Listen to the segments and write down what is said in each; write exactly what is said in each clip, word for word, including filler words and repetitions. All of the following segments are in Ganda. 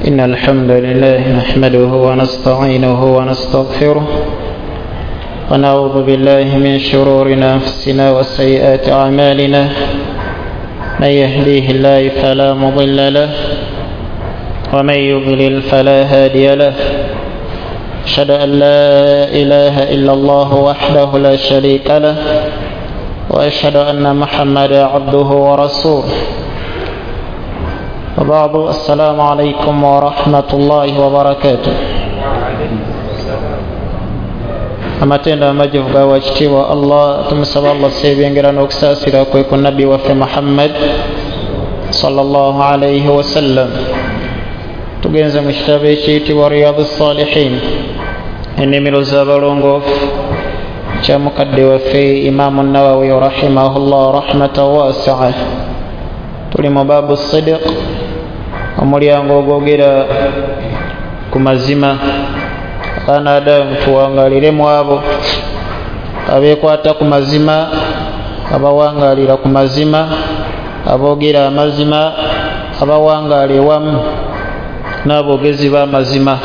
إن الحمد لله نحمده ونستعينه ونستغفره ونعوذ بالله من شرور أنفسنا وسيئات أعمالنا، من يهديه الله فلا مضل له ومن يضلل فلا هادي له. أشهد أن لا إله إلا الله وحده لا شريك له، وأشهد أن محمدا عبده ورسوله. وبعد، السلام عليكم ورحمة الله وبركاته. Amatendo amajivu ga wakitiibwa Allah, tumusaba Allah sebyengera n'okusaasira kwe ku nabbi waffe Muhammad sallallahu alayhi wasallam. Tugenze mu kitabo ekiyitibwa Riyadu Salihin, ennimiro z'abalongoofu, kya mukadde waffe Imaamu Nawawi rahimahullah rahmatan wasia. Tuli mu baabu sidiq, omulyango ogwogera ku mazima. Abaana Adamu tuwangalire mu abo abeekwata ku mazima, abawangalira ku mazima, aboogera amazima, abawangaala ewamu n'aboogezi b'amazima.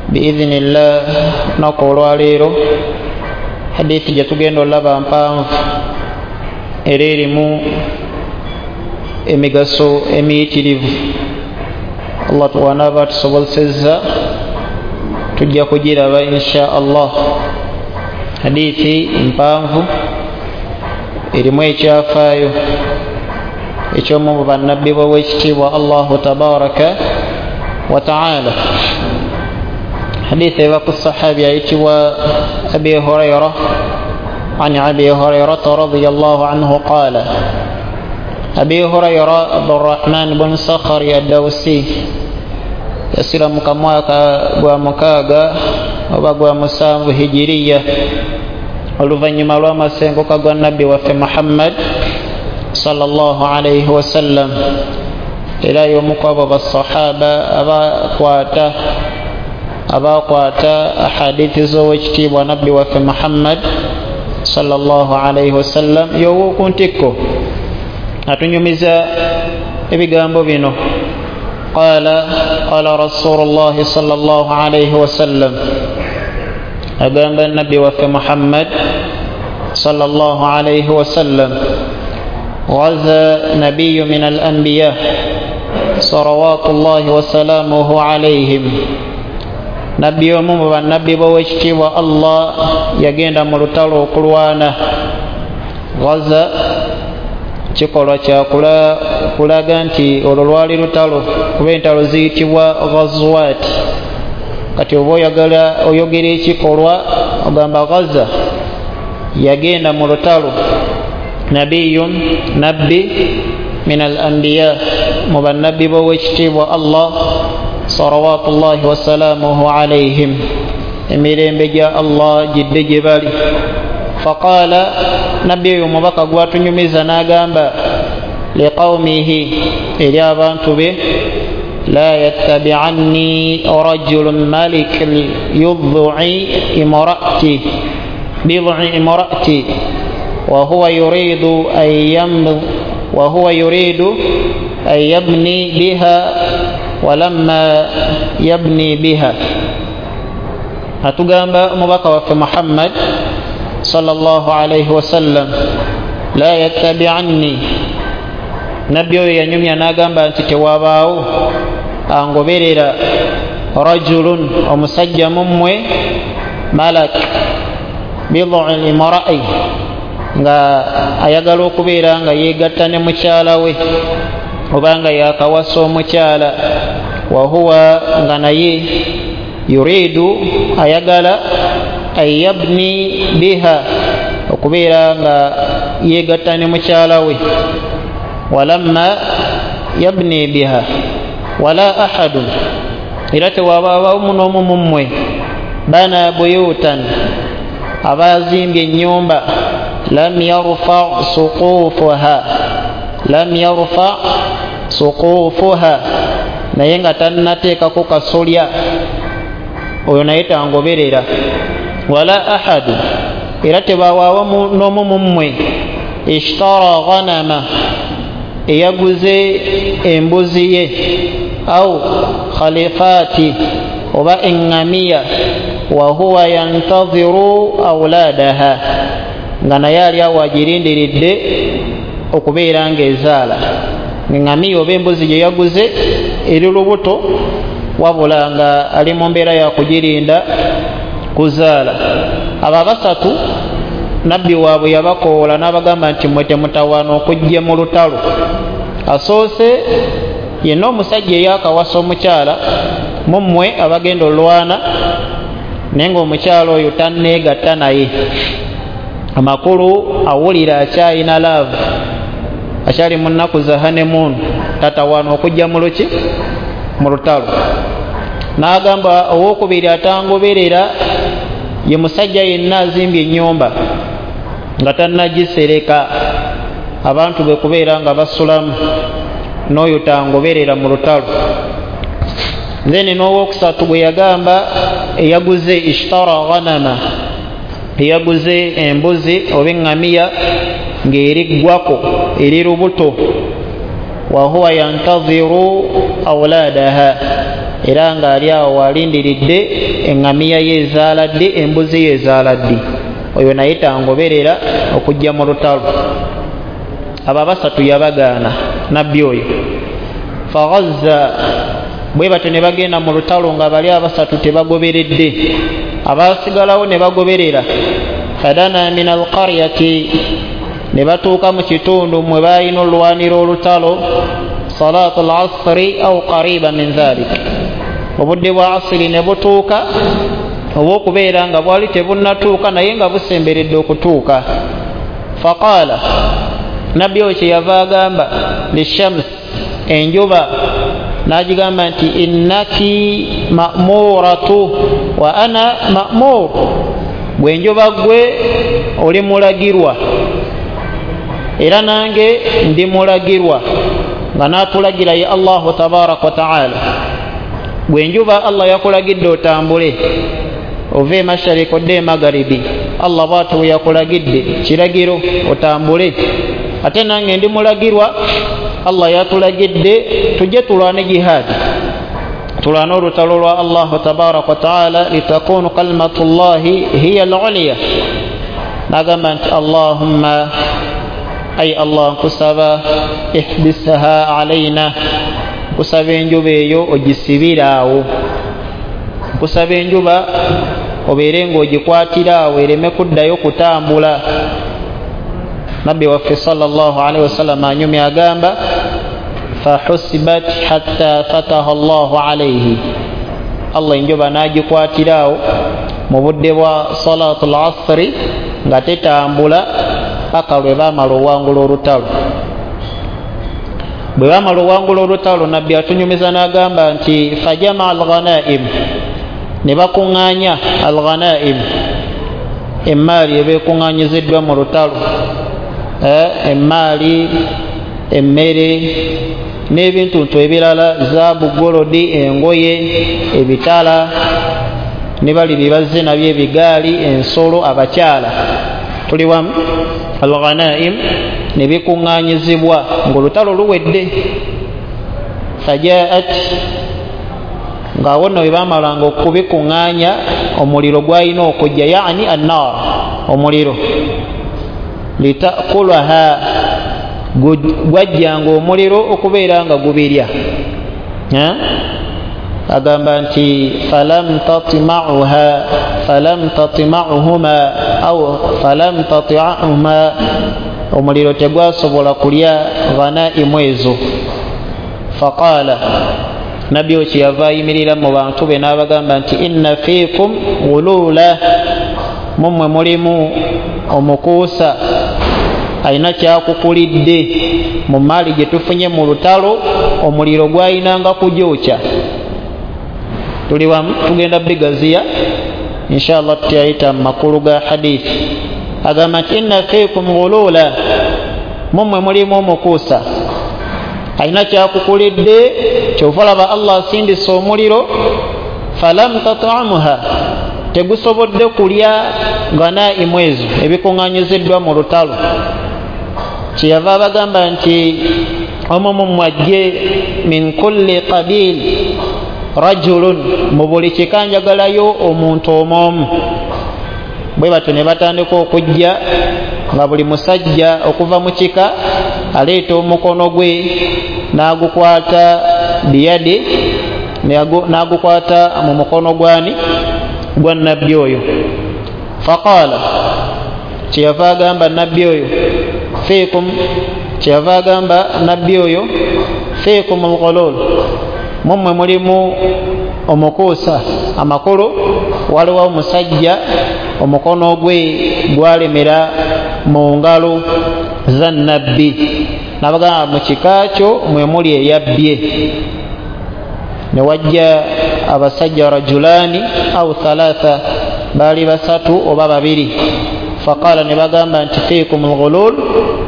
Biidhinillah, lunaku olwaleero hadithi gye tugenda olaba mpanvu era erimu emigaso emiyitirivu. Allah tuwanaaba tusobozesezza tujja kugiraba insha Allah. Hadithi mpanvu erimu ekyafaayo eky'omu mu bannabbi b'owekitiibwa Allahu tabaraka wa taala. Hadithi eva ku sahabi ayitibwa Abi Hurayra, an Abi Hurayrata radiyallahu anhu qala. Abi Hurayra Abdurrahman bun Sakhari ad-Dawsi yasiramuka mwaka gwa mukaaga oba gwa musanvu hijiriya, oluvannyuma lw'amasenguka gwa nabbi waffe Muhammad sallallahu alayhi wasallam. Era y'omu ku abo basahaba abakwata abakwata ahadithi z'owekitiibwa nabbi waffe Muhammad sallallahu alayhi wasallam. Y'ow'oku ntikko atunyumiza ebigambo bino. Qala qala Rasulullah sallallahu alayhi wasallam, agamba nabbi waffe Muhammad sallallahu alayhi wasallam, ghaza nabiyyu min al-anbiya salawatullahi wasalamuhu alayhim. Nabbi omu mu bannabbi b'owekitiibwa Allah yagenda mu lutalo okulwana. Ghaza kikolwa kya kulaga nti olwo lwali lutalo, kuba entalo ziyitibwa ghazwat. Kati oba oyagala oyogera ekikolwa ogamba ghaza, yagenda mu lutalo. Nabiyun, nabbi min al-anbiya, mu bannabbi b'owekitiibwa Allah salawatullahi wasalamuhu alayhim, emirembe gya Allah gidde gye bali. Faqala, nabbi oyo omubaka gwatunyumiza n'agamba liqaumihi, eri abantu be, la yattabi'anni rajulun malik yud'i imra'ati bid'i imra'ati wa huwa yuridu an yam wa huwa yuridu an yabni biha wa lamma yabni biha. Atugamba omubaka waffe Muhammad sallallahu alayhi wasallam, la yattabi'anni, nabbi oyo yanyumya n'agamba nti tewabaawo angoberera rajulun, omusajja mummwe, malak bid'u imra'i, nga ayagala okubeera nga yeegatta ne mukyala we oba nga yakawasa omukyala, wa huwa nga naye yuridu ayagala an yabni biha, okubeera nga yeegatta ne mukyala we, walamma yabni biha wala ahadun, era tewabaawo n'omu mummwe bana buyutan, abazimbye ennyumba, lam yarfa suqufuha lam yarfa suqufuha, naye nga tannateekako kasolya, oyo naye tangoberera. Wala ahadu, era tebawaawo n'omu mummwe ishtara ghanama, eyaguze embuzi ye, Au khalifati, oba eŋŋamiya, wahuwa yantadhiru auladaha, nga naye ali awo agirindiridde okubeera ng'ezaala. Eŋŋamiya oba embuzi gye yaguze eri lubuto, wabula nga ali mu mbeera ya kugirinda kuzaala. Abo abasatu nabbi waabwe yabakoola n'abagamba nti mmwe temutawaana okujja mu lutalo. Asoose yenna omusajja eyakawasa omukyala mu mmwe abagenda olwana, naye ng'omukyala oyo tanneegatta naye, amakulu awulira akyalina laavu, akyali mu nnaku za honeymoon, tatawaana okujja mu luki mu lutalo. N'agamba owokubiri atangoberera ye musajja yenna azimbye ennyumba nga tannagisereka abantu bwe kubeera nga basulamu, n'oyo tangoberera mu lutalo. Then n'owokusatu bwe yagamba eyaguze ishtara ghanama, eyaguze embuzi oba eŋŋamiya ng'eriggwako eri lubuto, wahuwa yantadhiru auladaha, era ng'ali awo alindiridde eŋŋamiya ye ezaala ddi, embuzi ye ezaala ddi, oyo naye tangoberera okujja mu lutalo. Abo abasatu yabagaana nabbi oyo. Faghazza, bwe batyo ne bagenda mu lutalo nga bali abasatu tebagoberedde, abaasigalawo ne bagoberera. Fadana min alqaryati, ne batuuka mu kitundu mwe baalina olwanira olutalo, salatu lasri au qariba min dhalik, obudde bwa asiri ne butuuka, oba okubeera nga bwali tebunnatuuka naye nga busemberedde okutuuka. Faqaala, nabbi oyo kyeyava agamba lishams, enjuba n'agigamba nti innaki ma'muratu wa ana ma'mur, gwe enjuba gwe oli mulagirwa era nange ndi mulagirwa, nga n'atulagira ye Allahu tabaraka wa taala. Gwe enjuba Allah yakulagidde otambule ove emashariki odde emagaribi, Allah bw'atyo bwe yakulagidde kiragiro otambule, ate nange ndi mulagirwa, Allah yatulagidde tujje tulwane jihaadi, tulwane olutalo lwa Allahu tabaraka wa taala, litakunu kalimatullahi hiya al-uliya. N'agamba nti Allahumma, ay Allah nkusaba ihbisha alaina, nkusaba enjuba eyo ogisibire awo, nkusaba enjuba obeere ng'ogikwatira awo ereme kuddayo kutambula. Nabbi waffe sallallahu alaihi wasallam anyumya agamba fahusibat hatta fataha Allahu alaihi, Allah enjuba n'agikwatira awo mu budde bwa salatul asri nga tetambula paka lwe baamala owangula olutalo. Bwe baamala owangula olutalo, nabbi atunyumiza n'agamba nti fajamaa alghanaim, ne bakuŋŋaanya alghanaim, emmaali eba ekuŋŋaanyiziddwa mu lutalo, emmaali, emmere n'ebintuntu ebirala, zaabu, golodi, engoye, ebitala, ne bali bye bazze nabyo, ebigaali, ensolo, abakyala. Tuli wamu? Alghanaim ne bikuŋŋaanyizibwa ng'olutalo luwedde. Fajaat, ng'awo nno bwe baamalanga okubikuŋŋaanya omuliro gwalina okujja, yaani annar, omuliro, litakulaha, gwajjanga omuliro okubeera nga gubirya. Agamba nti falam tatma'uha falam tatma'uhuma au falam tati'uhuma, omuliro tegwasobola kulya ghanaimu ezo. Faqala, nabbi oyo kyeyava ayimirira mu bantu be n'abagamba nti inna fiikum ghulula, mummwe mulimu omukuusa alina kyakukulidde mu maali gye tufunye mu lutalo, omuliro gwayinanga kugyokya. Tuli wamu? Tugenda bigaziya inshallah tutayita mu makulu ga hadithi. Agamba nti inna fiikum ghulula, mummwe mulimu omukuusa alina kyakukulidde, kyova olaba Allah asindisa omuliro, falam tat'amuha, tegusobodde kulya ghanaimu ezo ebikuŋŋaanyiziddwa mu lutalo. Kyeyava abagamba nti Omu mummwe ajje, min kulli qabil rajulun, mu buli kika njagalayo omuntu omwomu. Bwe batyo ne batandika okujja nga buli musajja okuva mu kika aleeta omukono gwe n'agukwata biyadi, n'agukwata mu mukono gwani gwa nabbi oyo. Faqala, kyeyava agamba nabbi oyo, fiikum, kyeyava agamba nabbi oyo, fiikum alghulul, mummwe mulimu omukuusa. Amakulu waliwo omusajja omukono gwe gwalemera mu ngalo za nabbi, nabagamba mu kika kyo mwe muli eyabbye. Ne wajja abasajja rajulani au thalatha, baali basatu oba babiri. Faqala, ne bagamba nti fiikum alghulul,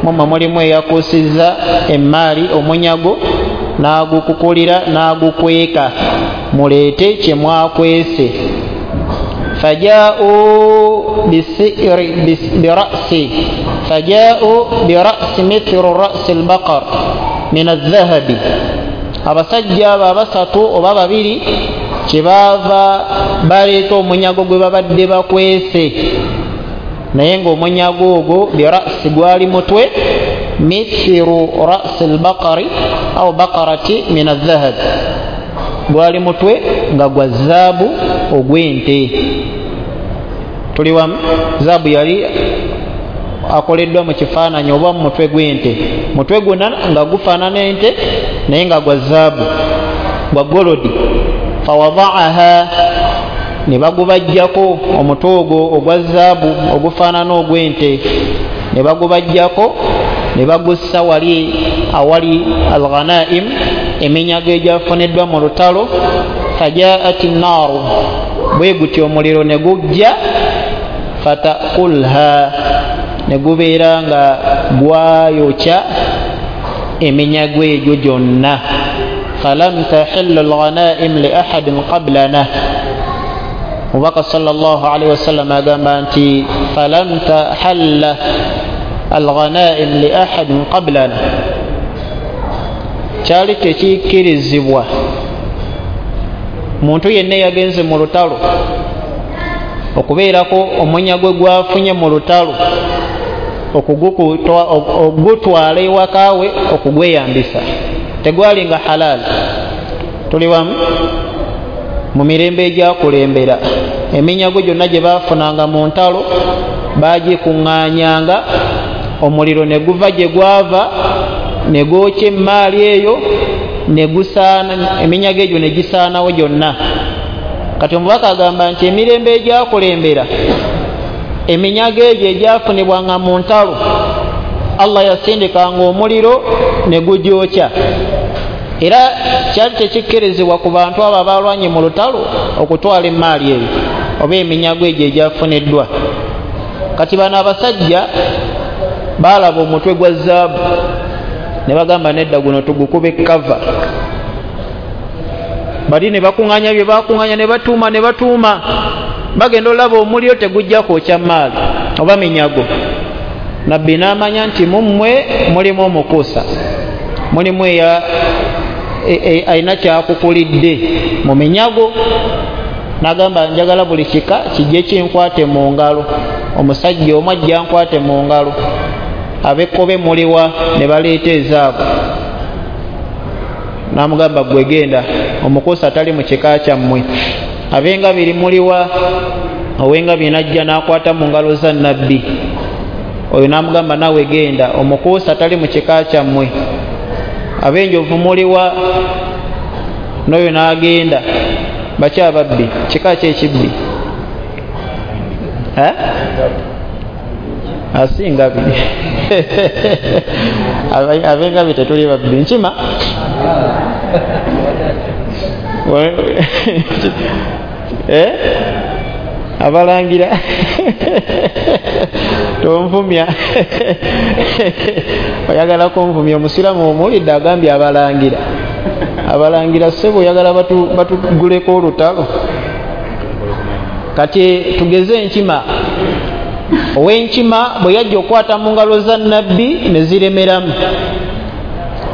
mummwe mulimu eyakuusizza emmaali omunyago n'agukukulira n'agukweka, muleete kye mwakwese. Faja'u bira'si faja'u bira'si mithlu ra'si albaqar min adh-dhahabi, abasajja abo abasatu oba babiri kyebaava baleeta omunyago gwe babadde bakwese, naye ng'omunyago ogwo bira'si gwali mutwe, mithlu ra'si albaqari au baqarati min adh-dhahab, gwali mutwe nga gwa zaabu ogw'ente. Tuli wamu? Zaabu yali akoleddwa mu kifaananyi oba mu mutwe gw'ente, mutwe gwonna nga gufaanana ente naye nga gwa zaabu, gwa golodi. Fawadaaha, ne bagubajjako omutwe ogwo ogwa zaabu ogufaanana ogw'ente, ne bagubajjako ne bagussa wali awali alghanaim, eminyago egyafuniddwa mu lutalo. Fajaat nnaaru, bwe gutyo omuliro ne gujja, fatakulha, ne gubeera nga gwayokya eminyago egyo gyonna. Falam tahillu alghanaim li ahadin qablana, Omubaka sallallahu alaihi wasallam agamba nti falam tahalla alghanaim li ahadin qablana, kyali tekikkirizibwa muntu yenna yagenze mu lutalo okubeerako omunyago gwafunye mu lutalo okugutwala ewakaawe okugweyambisa, tegwalinga halal. Tuli wamu? Mu mirembe egyakulembera eminyago gyonna gye baafunanga mu ntalo baagikuŋŋaanyanga, omuliro ne guva gye gwava ne gwokya emmaali eyo ne gusaana, eminyago egyo ne gisaanawo gyonna. Kati omubaka agamba nti emirembe egyakulembera eminyago egyo egyafunibwanga mu ntalo Allah yasindikanga omuliro ne gugyokya. Era kyali tekikkirizibwa ku bantu abo abalwanye mu lutalo okutwala emmaali eyo oba eminyago egyo egyafuniddwa. Kati bano abasajja baalaba omutwe gwa zaabu ne bagamba nedda, guno tugukube kava. Bali ne bakuŋŋaanya bye bakuŋŋaanya ne batuuma ne batuuma, bagenda olaba omuliro tegujja kwokya mmaali oba minyago. Nabbi n'amanya nti mummwe mulimu omukuusa, mulimu eya alina kyakukulidde mu minyago. N'agamba njagala buli kika kijje kinkwate mu ngalo, omusajja omu ajja nkwate mu ngalo. Ab'ekkobe muliwa? Ne baleeta ezaabu. N'amugamba gwe genda, omukuusa tali mu kika kyammwe. Ab'engabiri muliwa? Ow'engabi n'ajja n'akwata mu ngalo za nabbi oyo, n'amugamba nawe genda, omukuusa tali mu kika kyammwe. Ab'enjovu muliwa? N'oyo n'agenda. Bakyababbi, kika ki ekibbi? Asingabi abengabi tetuli babbi. Nkima eh abalangira tonvumya, oyagala kunvumya. Omusiraamu omuwulidde agambye abalangira, abalangira ssebo oyagala batuguleko olutalo. Kati tugeze enkima, ow'enkima bwe yajja okukwata mu ngalo za nabbi ne ziremeramu.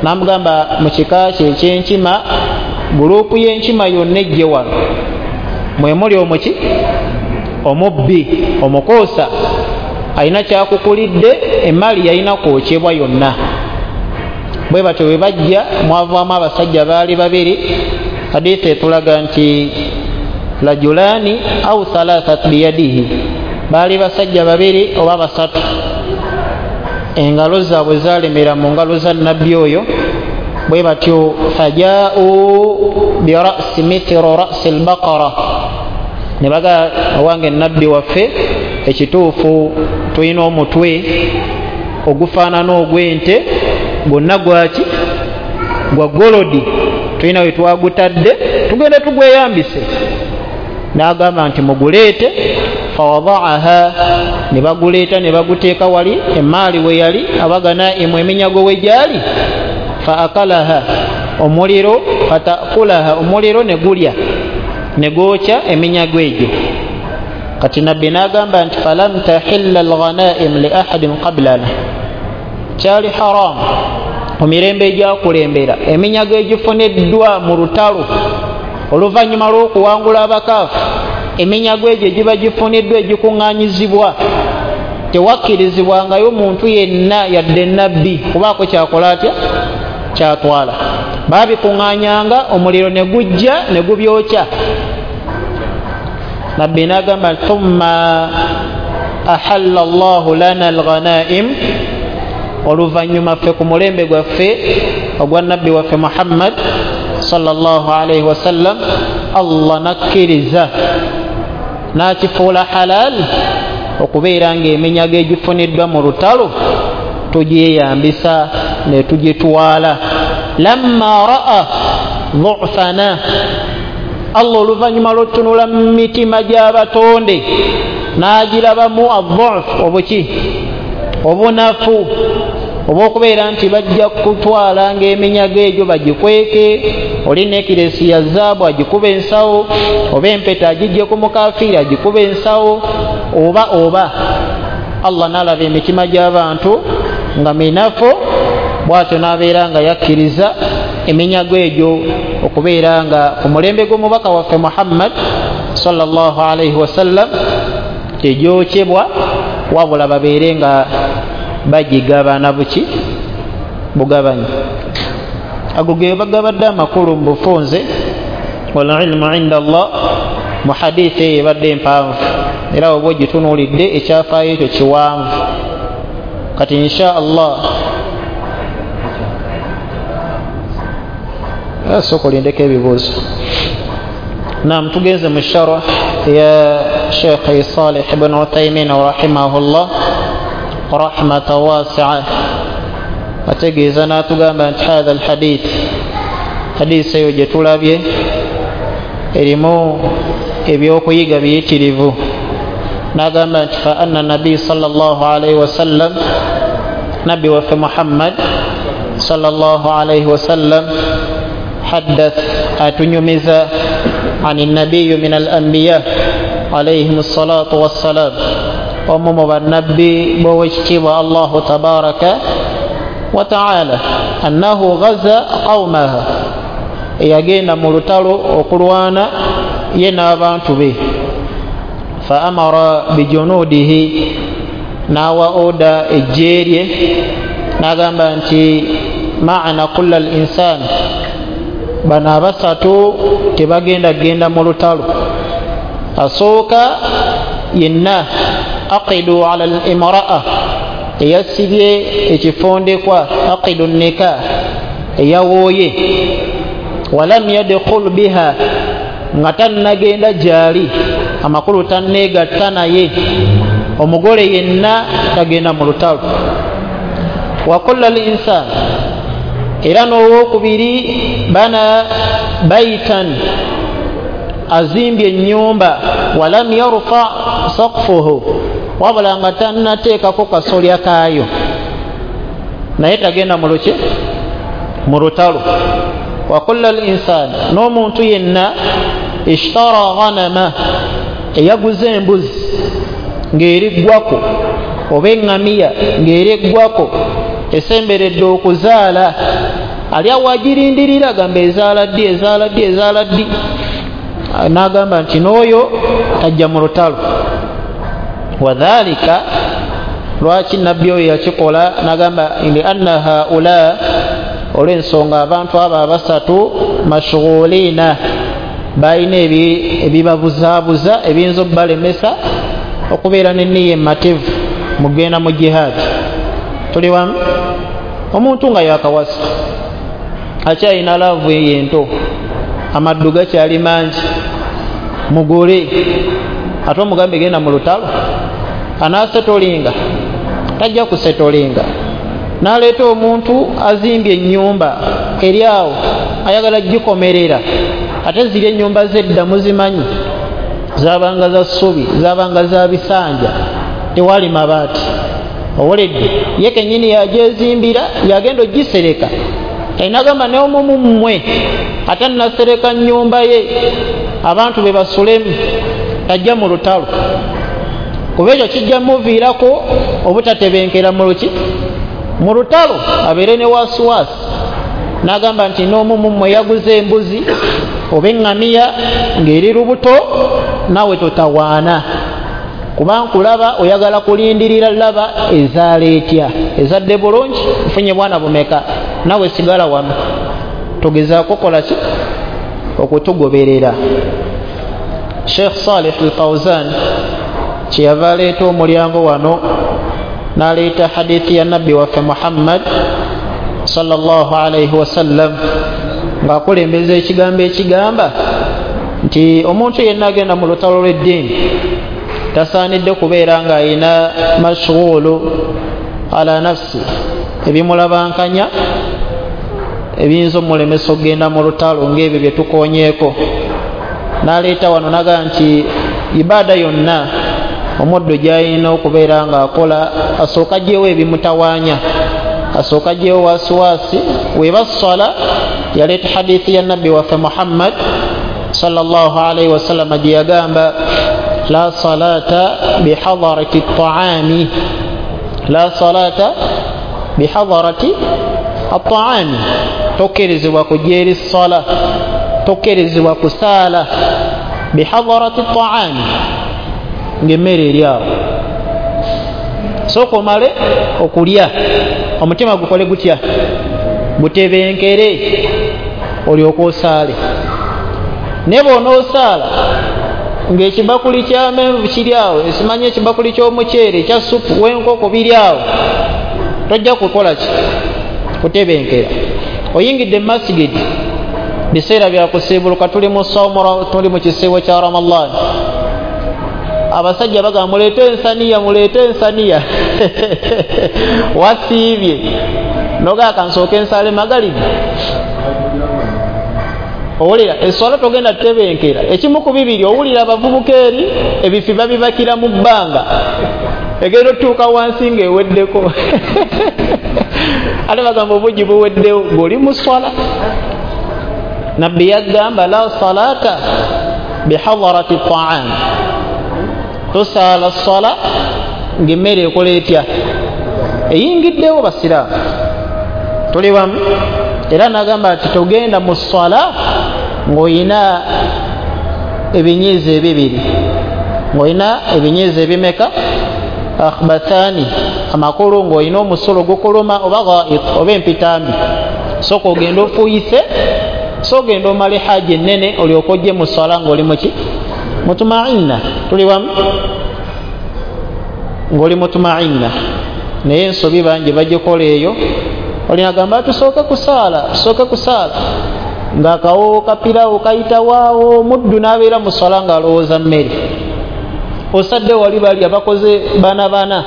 Namugamba mu kika kye ekyenkima, gurupu y'enkima yonna ejje wano, mwe muli omuki omubbi omukoosa alina kyakukulidde, emaali yalina kwokyebwa yonna. Bwe batyo bwe bajja, mwavaamu abasajja baali babiri. Hadithi etulaga nti rajulani au thalathat biyadihi, baali basajja babiri oba basatu, engalo zaabwe zalemera mu ngalo za nabbi oyo. Bwe batyo fajau birasi mithru rasi lbaqara, ne baga owange nabbi waffe, ekituufu tulina omutwe ogufaanana ogw'ente, gwonna gwaki gwa golodi, tulina we twagutadde, tugende tugweyambise. N'agamba nti muguleete. Fawadaaha, ne baguleeta ne baguteeka wali emaali we yali, abaganaimu eminyago we gyali. Fa akalaha, omuliro, fatakulaha, omuliro ne gulya ne gwokya eminyago egyo. Kati nabbi n'agamba nti falam tahilla alghanaim li ahadin qablana, kyali haramu mu mirembe egyakulembera eminyago egifuniddwa mu lutalo oluvannyuma lw'okuwangula abakaafu, eminyago egyo egiba gifuniddwa egikuŋŋaanyizibwa tewakkirizibwangayo muntu yenna yadde nabbi kubaako kyakola atya kyatwala. Baabikuŋŋaanyanga omuliro ne gujja ne gubyokya. Nabbi n'agamba thumma ahalla Allahu lana alghanaim, oluvannyuma ffe ku mulembe gwaffe ogwa nabbi waffe Muhammad sallallahu alaihi wasallam, Allah nakkiriza n'akifuula halal okubeera ng'eminyago egifuniddwa mu lutalo tugyeyambisa ne tugitwala. Lamma ra'a dhufana, Allah oluvannyuma lw'okutunula mu mitima gy'abatonde n'agirabamu adhuf, obuki obunafu obw'okubeera nti bajja kutwala ng'eminyago egyo bagikweke, oli nekiresi ya zaabu agikuba ensawo, oba empeta agijje ku mukafiiri agikuba ensawo, oba oba. Allah n'alaba emitima gy'abantu nga minafu, bw'atyo n'abeera nga yakkiriza eminyago egyo okubeera nga ku mulembe gw'omubaka waffe Muhammad sallallahu alaihi wasallam tegyokyebwa, wabula babeere nga bagigabana buki bugabanyi. Ago ge bagabadde amakulu mu bufunze. Wal ilmu inda Allah, mu hadithi eyo ebadde empanvu era oba ogitunuulidde ekyafaayo ekyo kiwanvu. Kati insha Allah sooka olindeko ebibuuzo. Naam, tugenze mu sharh ya Sheikh Salih ibn Uthaymin rahimahullah rahmatan wasi'a, ategeeza n'atugamba nti hatha alhadith, hadisi eyo gye tulabye erimu ebyokuyiga biyitirivu. N'agamba nti fa anna nabiy sallallahu alaihi wasallam, nabbi waffe Muhammad sallallahu alaihi wasallam haddath, atunyumiza ani nabiyu min al anbiya alayhim salatu wassalam, omu mu bannabbi b'owekitiibwa Allahu tabaraka wa taala, annahu ghaza qaumaha, eyagenda mu lutalo okulwana ye n'abantu be. Fa amara bijunudihi, n'awa oda ejje lye n'agamba nti ma'ana kulla al insan, bano abasatu tebagenda genda mu lutalo. Asooka yenna aqidu ala al imra'a, eyasibye ekifundikwa, aqidu nikah, eyawooye, walam yadkhul biha, nga tannagenda gyali, amakulu tanneegatta naye, omugole yenna tagenda mu lutalo. Wa kulla al insan, era n'owokubiri bana baitan, azimbye ennyumba, walam yarfa saqfuhu, wabula nga tannateekako kasolya kaayo, naye tagenda mu luki mu lutalo. Wa kulla al insan, n'omuntu yenna ishtara ghanama, eyaguza embuzi ng'eriggwako oba eŋŋamiya ng'eriggwako esemberedde okuzaala, Ali awo agirindirira, agamba ezaala ddi, ezaala ddi, ezaala ddi. N'agamba nti n'oyo tajja mu lutalo. Wadhalika, lwaki nabbi oyo yakikola? N'agamba li anna haula, olw'ensonga abantu abo abasatu mashghulina, balina ebibabuzaabuza ebiyinza okubalemesa okubeera n'enniya emmativu mugenda mu jihaadi. Tuli wamu? Omuntu nga yakawasa akyalina laavu eyo ento, amaddu gakyali mangi, mugole ate omugambe genda mu lutalo, anaasetolinga? Tajja kusetolinga. N'aleeta omuntu azimbye ennyumba eri awo ayagala gikomerera, ate ziri ennyumba z'edda muzimanyi, zabanga za ssubi, zabanga za bisanja, tewali mabaati. Owuledde ye kennyini yajezimbira, yagenda ogisereka. Inagamba n'omumu mmwe ate nasereka nnyumba ye abantu be basulemu, tajja mu lutalo, kuba ekyo kijja muviirako obutatebenkera mu luki mu lutalo, abeere ne wasiwasi. N'agamba nti n'omumu mmwe yaguze embuzi oba eŋŋamiya ng'eri lubuto, naawe totawaana, kuba nkulaba oyagala kulindirira laba ezaala etya, ezadde bulungi, nfunye bwana bumeka, nawe sigala wano, togezaako kola ki okutugoberera. Sheikh Salih Al-Fawzan kyeyava aleeta omulyango wano n'aleeta hadithi ya nabbi waffe Muhammad sallallahu alaihi wasallam ng'akulembeza ekigambo ekigamba nti omuntu yenna agenda mu lutalo lw'eddiini tasaanidde kubeera ng'ayina mashghulu ala nafsi, ebimulabankanya ebiyinza omulemesa okugenda mu lutalo ng'ebyo bye tukoonyeeko. N'aleeta wano n'agamba nti ibaada yonna omuddu gy'alina okubeera ng'akola asooka aggyewo ebimutawaanya, asooka aggyewo wasiwasi. Weba ssala, yaleeta hadithi ya nabbi waffe Muhammad sallallahu alaihi wasallam gye yagamba la salata bihadarati taami, la salata bihadarati ataami, tokkirizibwa kujja eri ssala, tokkirizibwa kusaala bihadarati taami, ng'emmere eri awo. Sooka omale okulya, omutima gukole gutya? Gutebenkere, olyoke osaale. Naye bw'onoosaala ng'ekibakuli ky'amenvu kiri awo, esimanyi ekibakuli ky'omuceere, ekya supu w'enkoko biri awo, tojja kukola ki? Kutebenkera. Oyingidde mu masigidi, biseera bya kusiibuluka, tuli mu sawmu, tuli mu kisiibo kya Ramadhan. Abasajja bagamba muleete ensaniya, muleete ensaniya wasiibye nogaa kansooke ensale magalibi. Owulira eswala togenda tutebenkera. Ekimu ku bibiri, owulira abavubuka eri ebifi babibakira mu bbanga, egenda otuuka wansi ng'eweddeko ate bagamba obugi buweddewo ng'oli mu swala. Nabbi yagamba la salata bihadarati taam, tosaala swala ng'emmere ekola etya? Eyingiddewo. Basiraamu tuli wamu? Era n'agamba nti togenda mu swala ng'olina ebinyiizo ebibiri, ng'olina ebinyiizo ebimeka? Akhbathani, amakulu ng'olina omusulo gukuluma oba ghaid oba empitambi. Sooka ogenda ofuuyise, so ogenda omale haji ennene olyoke ojje mu swala ng'oli muki? Mutumainna. Tuli wamu? Ng'oli mutumainna. Naye ensobi bangi bagikola eyo. Olinagamba tusooke kusaala, tusooke kusaala, ng'akawo kapirawo kayitawaawo, muddu n'abeera mu swala ng'alowooza mmere. Osadde wali bali abakoze bana bana,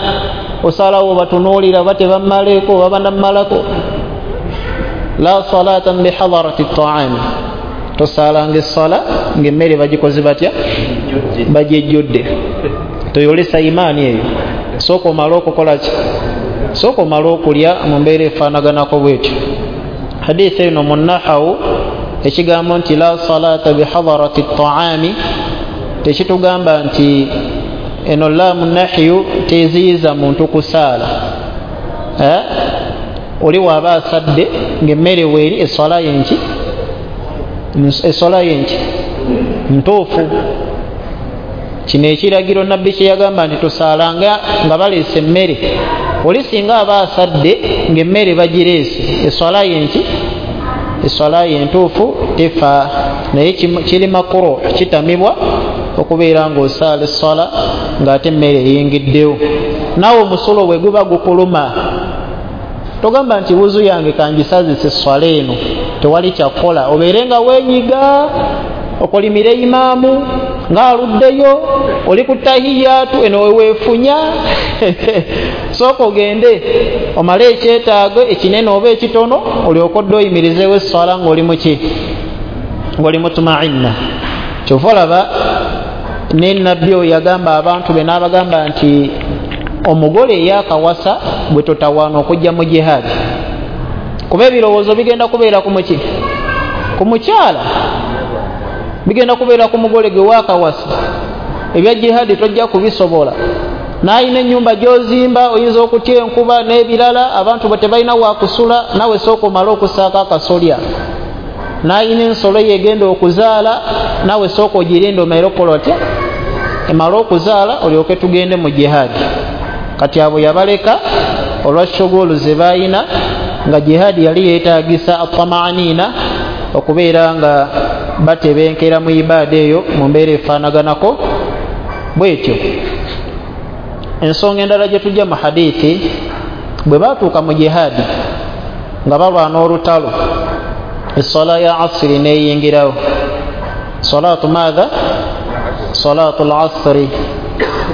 osalawo batunuulira oba tebammaleko oba banammalako. La salata bihadarati taami, tosaalanga essala ng'emmere bagikoze batya? Bagyejjudde. Toyolesa imaani eyo. Sooka omale okukola ki? Sooka omale okulya mu mbeera efaanaganako bwetyo. Hadithi eno mu nahawu ekigambo nti la salata bihadarati taami tekitugamba nti eno laamu nahyu teziyiza muntu kusaala, eh? Oli waaba asadde ng'emmere weeri, eswala yenki eswala yenki ntuufu. Kino ekiragiro nabbi kye yagamba nti tusaalanga nga baleese emmere, oli singa aba asadde ng'emmere bagireese, eswala yenki eswala yentuufu tefa. Naye kiri makuru, kitamibwa okubeera ng'osaala eswala ng'ate emmere eyingiddewo. Naawe omusulo bwe guba gukuluma, togamba nti wuzu yange kangisazise eswala eno, tewali kyakukola, obeere nga weenyiga okolimire imaamu ng'aluddeyo, oli ku tahiyatu eno weweefunya. Sooka ogende omale ekyetaago ekinene oba ekitono, olyoke odde oyimirizeewo eswala ng'oli muki ng'oli mutumainna. Kyova olaba ne nabbi oyo yagamba abantu be n'abagamba nti omugole eyakawasa bwe totawaana okujja mu jihaadi, kuba ebirowoozo bigenda kubeera ku muki ku mukyala, bigenda kubeera ku mugole gwe waakawasa. Ebya jihaadi tojja kubisobola, n'ayina ennyumba gy'ozimba oyinza okutya enkuba n'ebirala, abantu bwe tebalina wakusula, nawe sooka omale okusaako akasolya. N'ayina ensolo ye egenda okuzaala, nawe sooka ogirinde omale okukola otya, emale okuzaala olyoke tugende mu jihaadi. Kati abo yabaleka olwa shugulu ze baayina, nga jihaadi yali yeetaagisa atamaaniina okubeera nga batebenkera mu ibaada eyo mu mbeera efaanaganako bwetyo. Ensonga endala gye tujja mu hadithi, bwe baatuuka mu jihaadi nga balwana olutalo, eswala ya asiri neeyingirawo. Salatu maatha? Salatu lasri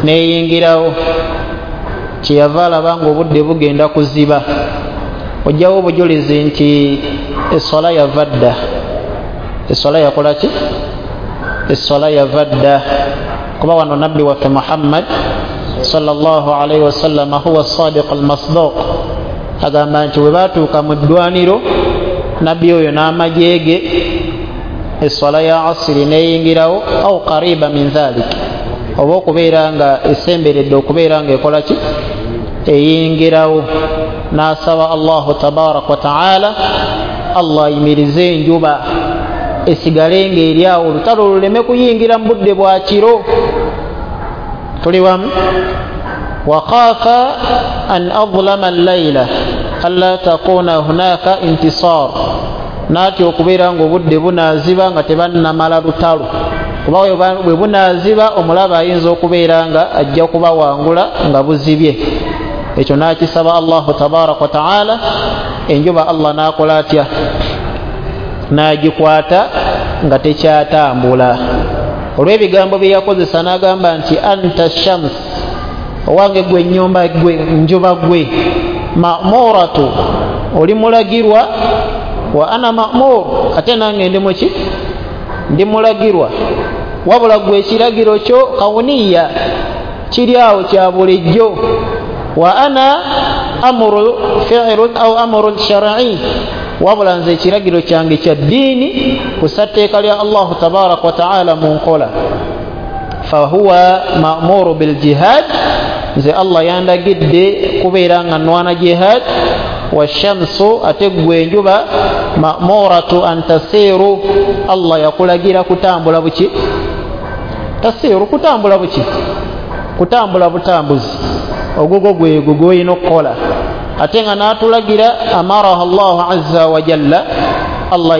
neeyingirawo. Kyeyava alaba ng'obudde bugenda kuziba, ojjawo obujulizi nti eswala yava dda. Eswala yakola ki? Eswala yava dda, kuba wano nabbi waffe Muhammad sallallahu alaihi wasallam huwa sadiq almasduq agamba nti bwe baatuuka mu ddwaniro, nabbi oyo n'amagye ge, eswala ya asiri neeyingirawo au qariba min dhalik, oba okubeera nga esemberedde okubeera nga ekola ki eyingirawo. N'asaba Allahu tabaraka wa taala Allah ayimirize enjuba esigale ng'eri awo, olutalo luleme kuyingira mu budde bwa kiro. Tuli wamu? Wakhafa an adlama allayla alla takuna hunaka intisar, n'atya okubeera ng'obudde bunaaziba nga tebannamala lutalo, kuba bwe bunaaziba omulabe ayinza okubeera nga ajja kubawangula nga buzibye. Ekyo n'akisaba Allahu tabaraka wa taala, enjuba Allah n'akola atya? N'agikwata nga tekyatambula. Olw'ebigambo bye yakozesa n'agamba nti anta shams, owange gwe ennyumba gwe njuba gwe, ma'muratu, oli mulagirwa, wa ana ma'mur, ate nange ndi muki ndi mulagirwa, wabula gwe ekiragiro kyo kawuniya kiri awo kya bulijjo, wa ana amuru fi'lun au amuru shar'i, wabula nze ekiragiro kyange kya ddiini kussa tteeka lya Allahu tabaraka wa taala mu nkola. Fahuwa ma'muru biljihad, nze Allah yandagidde kubeera nga nwana jihad. Washamsu, ate ggwe enjuba, ma'muratu an tasiru, Allah yakulagira kutambula buki? Tasiru, kutambula buki? Kutambula butambuzi, ogugwo gwegwo gw'olina okukola. Ate nga n'atulagira amaraha Allahu azza wa jalla, Allah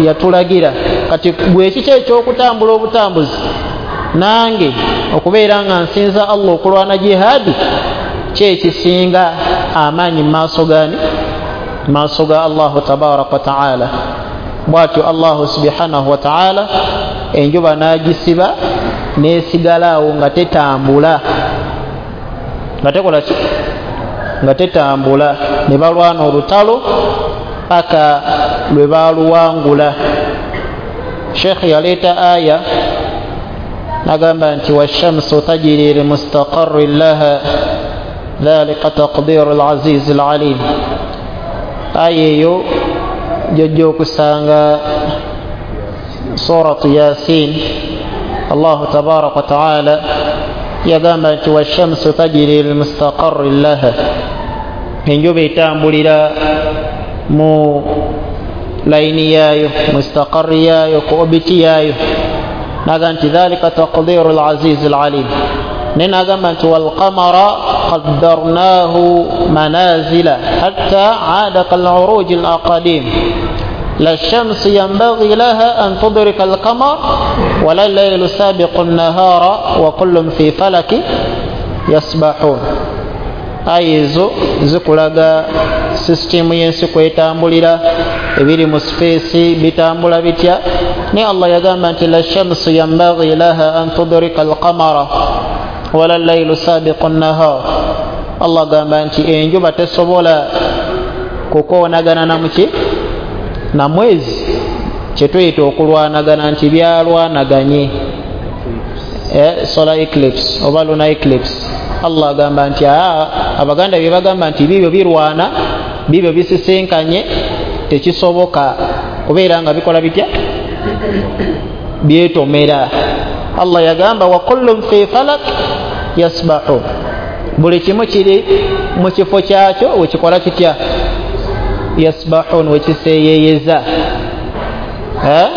yatulagira. Kati gwe kiki eky'okutambula obutambuzi, nange okubeera nga nsinza Allah okulwana jihaadi kyekisinga amaanyi mu maaso gani? Maaso ga Allahu tabaraka wa taala. Bw'atyo Allahu subhanahu wa taala enjuba n'agisiba n'esigala awo nga tetambula, nga tekola ki? Nga tetambula. Ne balwana olutalo paka lwe baaluwangula. Sheikh yaleeta aya n'agamba nti washamsu tajiri limustaqarrin laha dhalika taqdiru al-aziz al-alim. Aya eyo gyojja okusanga suratu Yasin. Allahu tabaraka wa taala yagamba nti washamsu tajiri limustaqarrin laha, Enjuba etambulira mu layini yaayo, mustaqarri yaayo, ku obiti yaayo. Naga nti dhalika taqdiru al-aziz al-alim. Naye nagamba nti walqamara qaddarnahu manazila hatta aada kal'uruji al-aqadim la shamsu yanbaghi laha an tudrika al-qamar wala al-laylu sabiqu an-nahara wa kullun fi falaki yasbahun. Aya ezo zikulaga sisitimu y'ensi kwetambulira, ebiri mu space bitambula bitya. Naye Allah yagamba nti la shamsu yanbaghi laha an tudrika al-qamara wala al-laylu sabiqu an-nahar. Allah agamba nti enjuba tesobola kukoonagana na muki na mwezi, kyetuyita okulwanagana nti byalwanaganye, eh, solar eclipse oba lunar eclipse. Allah agamba nti aa, abaganda bye bagamba nti bibyo birwana, bibyo bisisinkanye, tekisoboka kubeera nga bikola bitya, byetomera. Allah yagamba wa kullun fi falak yasbahu, buli kimu kiri mu kifo kyakyo wekikola kitya, yasbahun, wekiseeyeeyeza. Eh?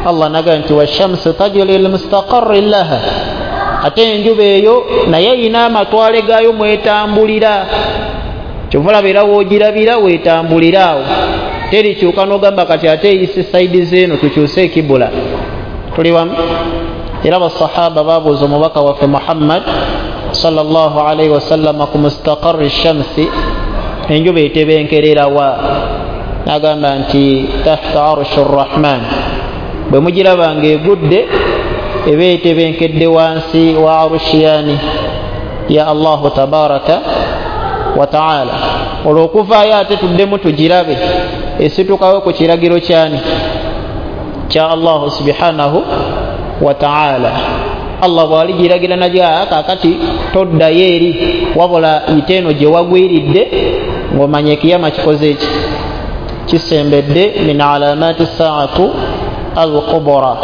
Allah naga nti washamsu tajri limustaqarri laha, ate enjuba eyo naye erina amatwale gaayo mwetambulira. Kyova olaba era woogirabira weetambulira awo, terikyuka n'ogamba kati ate eyise sayidi zeeno tukyuse ekibula. Tuli wamu? Era basahaba babuuza omubaka waffe Muhammad sallallahu alaihi wasallama ku mustaqarri shamsi, enjuba etebenkerera wa? Nagamba nti tahta arshi rrahman, bwe mugiraba ng'egudde eba etebenkedde wansi wa arushiyani ya Allahu tabaraka wa taala. Olw'okuvaayo ate tuddemu tugirabe esitukawo ku kiragiro kyani kya Allahu subhanahu wa taala. Allah bw'aligiragira nagya kaakati toddayo eri, wabula yita eno gye wagwiridde ng'omanya ekiyama kikoze eki kisembedde, min alamati saatu al-kubra.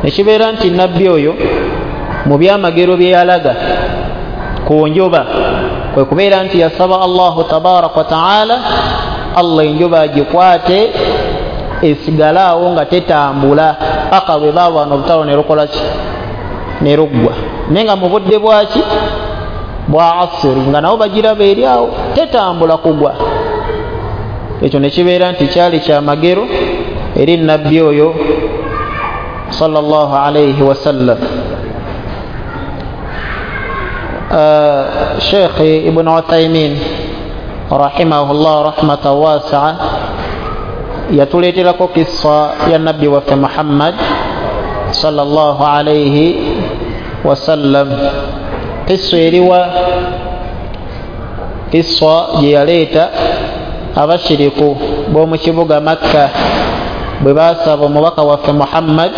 Nekibeera nti nabbi oyo mu byamagero bye yalaga ku njuba kwe kubeera nti yasaba Allahu tabaraka wa taala Allah enjuba agikwate esigale awo nga tetambula paka bwe balwana olutalo ne lukola ki, ne luggwa. Naye nga mu budde bwaki bwa asiri nga nabo bagiraba eri awo tetambula kugwa. Ekyo ne kibeera nti kyali kyamagero eri nabbi oyo sallallahu alayhi wasallam. Uh, Sheikh Ibn Uthaymin rahimahullah rahmatan wasi'a yatuleeterako kissa ya nabbi waffe Muhammad sallallahu alayhi wasallam. Kissa eriwa, kissa gye yaleeta abashiriku b'omu kibuga Makka bwe baasaba omubaka waffe Muhammad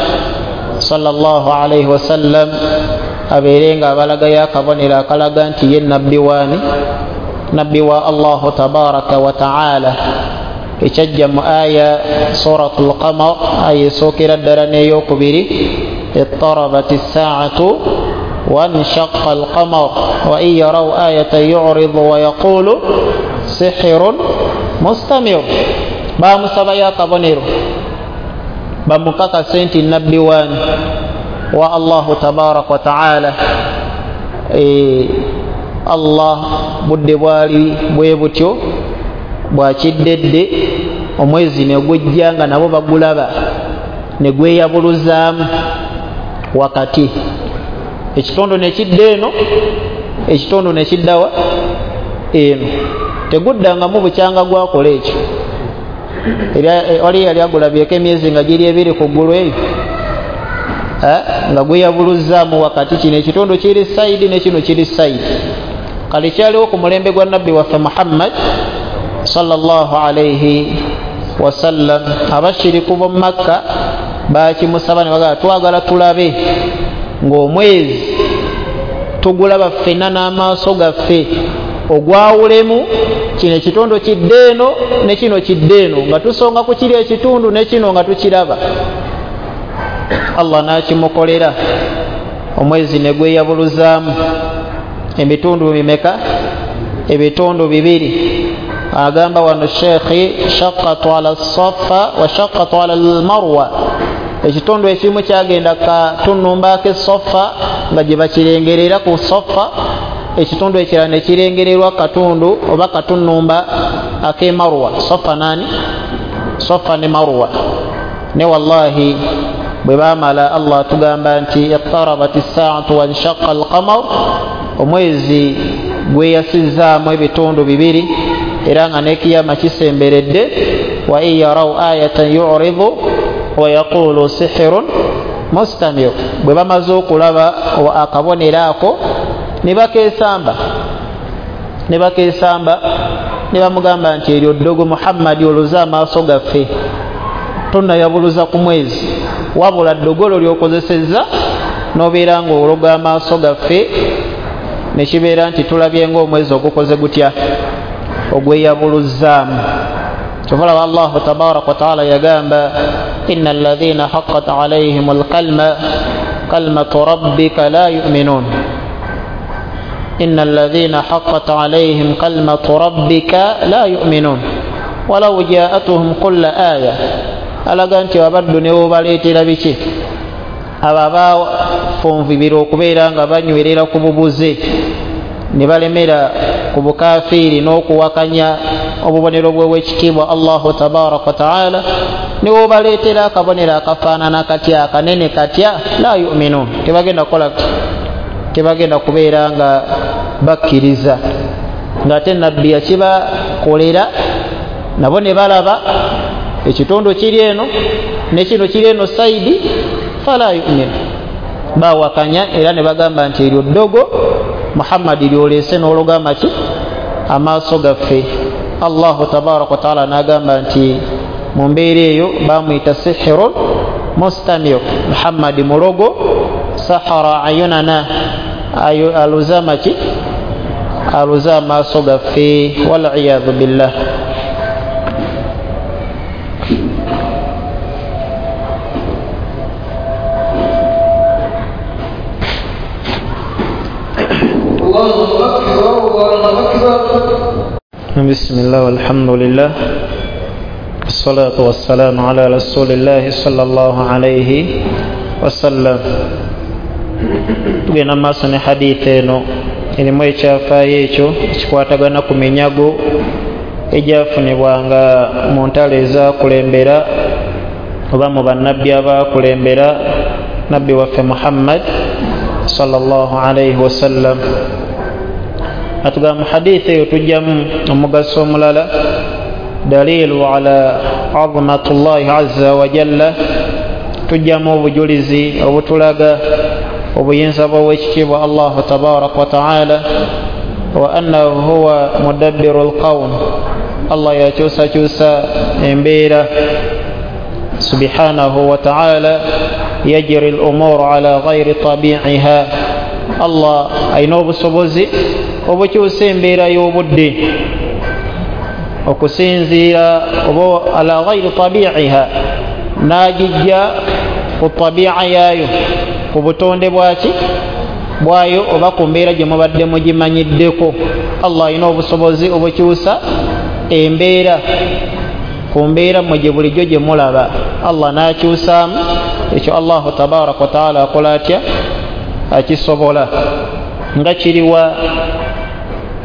sallallahu alayhi wasallam abeere nga abalagayo akabonero akalaga nti ye nabbi waani, nabbi wa Allahu tabaraka wa taala. Ekyajja mu aya Suratul Qamar, aya esookera ddala n'eyokubiri, ittarabat ssaatu wanshaqqa alqamar wa in yaraw ayatan yuridu wa yaqulu sihirun mustamir. Baamusabayo akabonero bamukakase nti nabbi waani wa Allahu tabaraka wa taala. E, Allah budde bwali bwe butyo bwakiddedde, omwezi ne gujja nga nabo bagulaba ne gweyabuluzaamu wakati, ekitundu ne kidda eno, ekitundu ne kiddawa eno, teguddangamu bukyanga gwakola ekyo. Wali yali agulabyeko emyezi nga giri ebiri ku ggulu eyo nga gweyabuluzaamu wakati, kino ekitundu kiri sayidi ne kino kiri sayidi. Kale kyaliwo ku mulembe gwa nabbi waffe Muhammad sallallahu alayhi wasallam. Abashiriku b'omu Makka bakimusaba ne bagamba twagala tulabe ng'omwezi tugulaba ffenna n'amaaso gaffe, ogwawulemu kino ekitundu kidde eno ne kino kidde eno, nga tusonga ku kiri ekitundu ne kino nga tukiraba. Allah n'akimukolera, omwezi ne gweyabuluzaamu emitundu mimeka? Ebitundu bibiri. Agamba wano Sheikh shaqqatu ala Safa wa shaqqatu ala al-Marwa. Ekitundu ekimu kyagenda katunumba ke Safa nga gye bakirengerera ku Safa, ekitundu ekirala ne kirengererwa katundu oba katunumba ake Marwa. Safa nani? Safa ne Marwa. Ne wallahi bwe bamala Allah tugamba nti iqtarabat as-sa'atu wa inshaqqa al-qamar, omwezi gweyasizaamu ebitundu bibiri era nga n'ekiyama kisemberedde. Wa in yaraw ayatan yu'ridu wa yaqulu sihrun mustamir. Bwe bamaze okulaba akabonero ako ne bakeesamba ne bakeesamba ne bamugamba nti eryo ddogo Muhammadi oloze amaaso gaffe, tonnayabuluza ku mwezi, wabula ddogolo ly'okozesezza n'obeera ng'ologa amaaso gaffe, ne kibeera nti tulabye ng'omwezi ogukoze gutya, ogweyabuluzzaamu. Kyova Allahu tabaraka wa taala yagamba inna alladhina haqqat alayhim alkalma kalmatu rabbika la yu'minun. Inna alladhina haqqat alayhim kalmatu rabbika la yu'minun walau ja'atuhum kulla aya. Alaga nti abaddu ne bobaleetera biki, abo abafunvibira okubeera nga banywerera ku bubuze ne balemera ku bukafiiri n'okuwakanya obubonero bw'ekitiibwa Allahu tabaraka wa taala, ne bobaleetera akabonero akafaanana katya akanene katya, la yu'minun, tebagenda kukola, tebagenda kubeera nga bakkiriza. Ng'ate nabbi yakibakolera nabo ne balaba ekitundu kiri eno ne kino kiri eno saidi, fala yu'min, bawakanya era ne bagamba nti eryo ddogo Muhammadi lyolese n'olugamba ki amaaso gaffe. Allahu tabaraka wa taala n'agamba nti mu mbeera eyo bamuyita sihirun mustamir, Muhammadi mulogo, sahara ayunana, aluze amaki aluze amaaso gaffe, waliyadhu billah. بسم الله والحمد لله والصلاة والسلام على رسول الله صلى الله عليه وسلم. Tugenda maaso ne hadithi eno erimu ekyafaayo ekyo ekikwatagana ku minyago egyafunibwanga mu ntalo ezakulembera oba mu bannabbi abakulembera nabbi waffe Muhammad sallallahu alaihi wasallam. Atugamba mu hadithi eyo tujjamu omugaso omulala, dalilu ala azmatullahi azza wa jalla, tujjamu obujulizi obutulaga obuyinza bw'owekitiibwa Allahu tabaraka wa taala, wa annahu huwa mudabbiru lqawm, Allah yakyusakyusa embeera subhanahu wa taala, yajri lumuru ala ghairi tabiiha, Allah alina obusobozi obukyusa embeera y'obudde okusinziira oba ala ghairi tabiiha, n'agijja ku tabiiha yaayo, ku butonde bwaki bwayo oba ku mbeera gye mubadde mugimanyiddeko. Allah alina obusobozi obukyusa embeera ku mbeera mmwe gye bulijjo gye mulaba, Allah n'akyusaamu ekyo. Allahu tabaraka wa taala akola atya? Akisobola. Nga kiriwa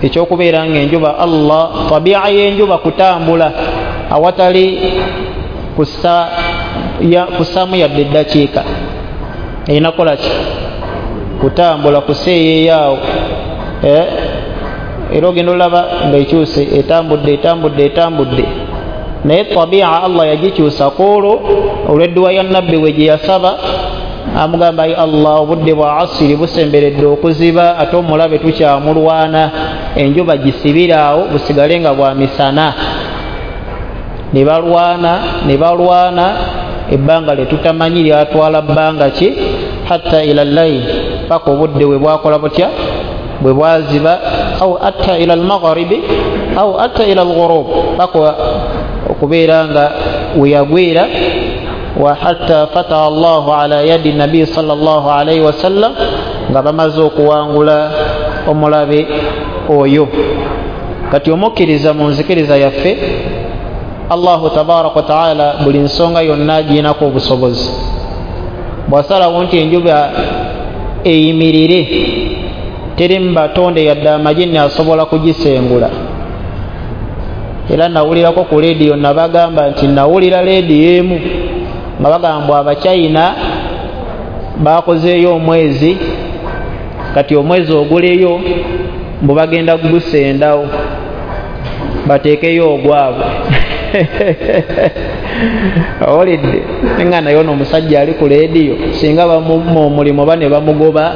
ekyokubeera ng'enjuba, Allah tabiiha y'enjuba kutambula awatali kussa kussaamu yadde eddakiika, erina kukola ki? Kutambula, kuseeyeeyaawo. Eh, era ogenda olaba ng'ekyuse, etambudde etambudde etambudde, naye tabiiha Allah yagikyusa ku olwo olw'edduwa ya nabbi we gye yasaba, amugamba ayi Allah, obudde bwa asiri busemberedde okuziba, ate omulabe tukyamulwana, enjuba gisibire awo busigale nga bwa misana. Ne balwana ne balwana ebbanga lye tutamanyi lyatwala bbanga ki, hatta ila llail, paka obudde bwe bwakola butya, bwe bwaziba, au atta ila almagharibi au atta ila alghurub, paka okubeera nga weyagwira. Wa hatta fataha Allahu ala yadi nabi sallallahu alayhi wasallam, nga bamaze okuwangula omulabe oyo. Kati omukkiriza mu nzikiriza yaffe, Allahu tabaraka wa taala buli nsonga yonna agiinako obusobozi. Bw'asalawo nti enjuba eyimirire, teri mu batonde yadde amajinni asobola kugisengula. Era nawulirako ku leediyo nabagamba nti nawulira leediyo emu nga bagamba Abachina bakozeeyo omwezi, kati omwezi oguleyo mbu bagenda kugusendawo bateekeyo ogwabwe. Owulidde nga naye ono omusajja ali ku leediyo singa bamumma omulimu oba ne bamugoba,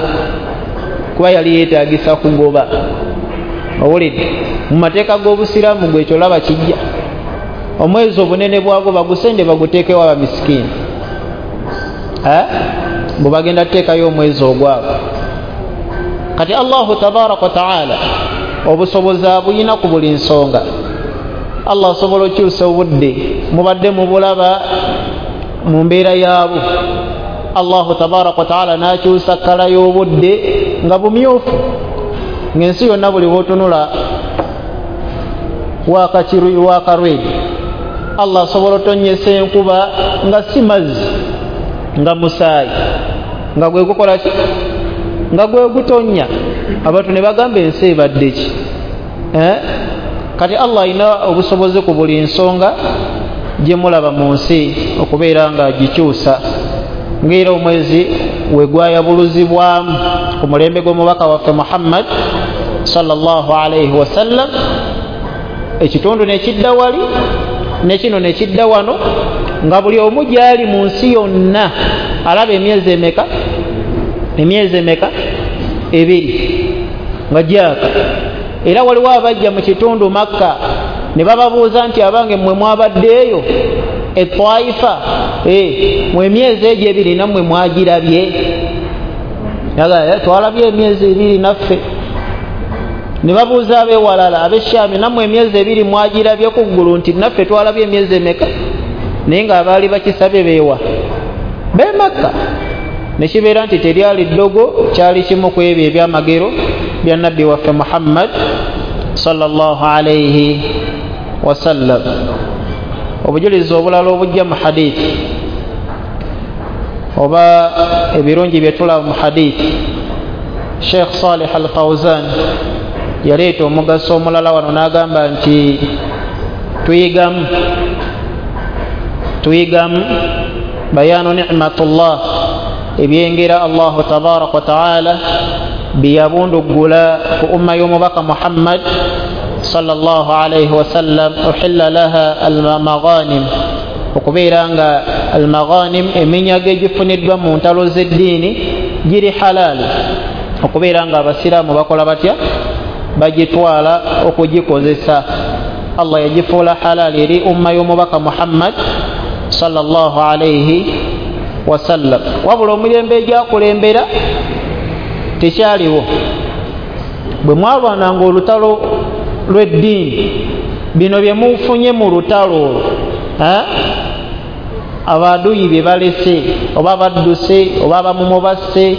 kuba yali yeetagisa kugoba. Owulidde mu mateeka g'obusiraamu gwe ekyo olaba kijja, omwezi obunene bwagwo bagusende baguteekewo abamisikiini, mbu bagenda kuteekayo omwezi ogwabwe. Kati Allahu tabaraka wa taala obusobozi abuyina ku buli nsonga. Allah asobola okukyusa obudde, mubadde mubulaba mu mbeera yaabwo. Allahu tabaraka wa taala n'akyusa kkala y'obudde nga bumyufu, ng'ensi yonna buli bw'otunula wakarwedi. Allah asobola otonnyesa enkuba nga si mazzi, nga musaayi, nga gwe gukola ki? Nga gwe gutonnya. Abantu ne bagamba ensi ebadde ki? Eh? Kati Allah alina obusobozi ku buli nsonga gye mulaba mu nsi okubeera nga agikyusa. Ng'era omwezi we gwayabuluzibwamu ku mulembe gw'omubaka waffe Muhammad sallallahu alaihi wasallam, ekitundu nekidda wali nekino nekidda wano, nga buli omu gyali mu nsi yonna alaba emyezi emeka? Emyezi emeka? Ebiri nga gyaka. Era waliwo abajja mu kitundu Makka ne bababuuza nti abange mmwe mwabaddeeyo etwaifa, eh, mwe emyezi egyo ebiri nammwe mwagirabye? Twalabye emyezi ebiri naffe. Ne babuuza ab'ewalala ab'Eshami, nammwe emyezi ebiri mwagirabye ku ggulu? Nti naffe twalabye emyezi emeka? Naye ng'abaali bakisabye beewa? B'e Makka. Ne kibeera nti teryali ddogo, kyali kimu ku ebyo ebyamagero bya nabbi waffe Muhammad sallallahu alaihi wasallam. Obujulizi obulala obujja mu hadithi oba ebirungi bye tulaba mu hadithi, Sheikh Salih Al-Fawzan yaleeta omugaso omulala wano n'agamba nti tuyigamu tuyigamu bayanu ni'matullah, ebyengera Allahu tabaraka wa taala biyabunduggula ku umma y'omubaka Muhammad sallallahu alaihi wasallam. Uhilla laha almaghanim, okubeera nga almaghanim eminyago egifuniddwa mu ntalo z'eddiini giri halaali, okubeera nga abasiraamu bakola batya? Bagitwala okugikozesa. Allah yagifuula halaali eri umma y'omubaka Muhammad sallallahu alaihi wasallam. Wabula omulembe egyakulembera tekyaliwo. Bwe mwalwananga olutalo lw'eddiini, bino bye mufunye mu lutalo olwo, abaduyi bye balese oba badduse oba abamumubasse,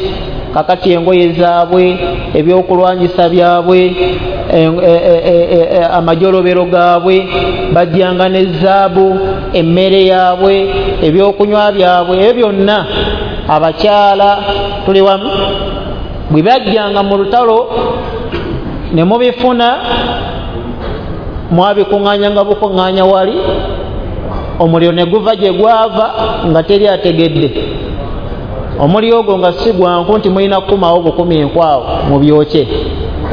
kakati engoye zaabwe, ebyokulwanyisa byabwe, amajolobero gaabwe, bajjanga ne zaabu, emmere yaabwe, ebyokunywa byabwe, ebyo byonna abakyala tuli wamu bwe bajjanga mu lutalo ne mubifuna, mwabikuŋŋaanyanga bukuŋŋaanya wali, omuliro ne guva gye gwava nga teri ategedde. Omuliro ogwo nga si gwanku nti mulina kukumawo bukumi enkwawo mubyokye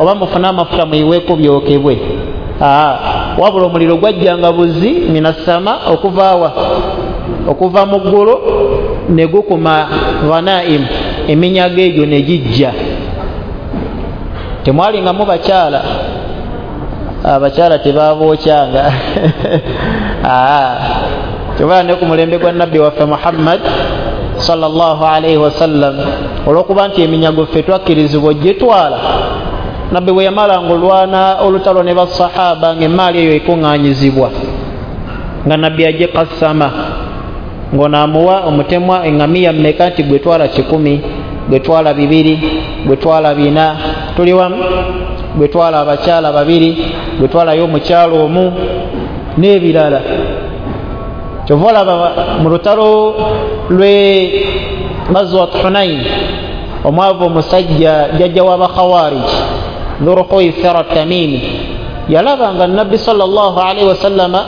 oba mufune amafuta muyiweeko byokebwe. Aa, wabula omuliro gwajjanga buzi minasama, okuva wa okuva mu ggulu ne gukuma ghanaim, eminyago egyo ne gijja. Temwalingamu bakyala, abakyala tebabookyanga. Aa, kyobala ne ku mulembe gwa nabbi waffe Muhammad sallallahu alaihi wasallam, olw'okuba nti eminyago ffe twakkirizibwa ogitwala, nabbi bwe yamalanga olwana olutalo ne basahaba ng'emmaali eyo ekuŋŋaanyizibwa, nga nabbi agikassama, ng'onaamuwa omutemwa eŋŋamiya mmeka nti gwe twala kikumi, gwe twala bibiri, gwe twala bina, tuli wamu. Gwetwala abakyala babiri, gwetwalayo omukyala omu n'ebirala. Kyova olaba mu lutalo lwe Ghazwat Hunain, omwavu omusajja jjajja w'abakhawariji Dhulkhuwaisira Tamimi yalaba nga Nabbi sallallahu alaihi wasallama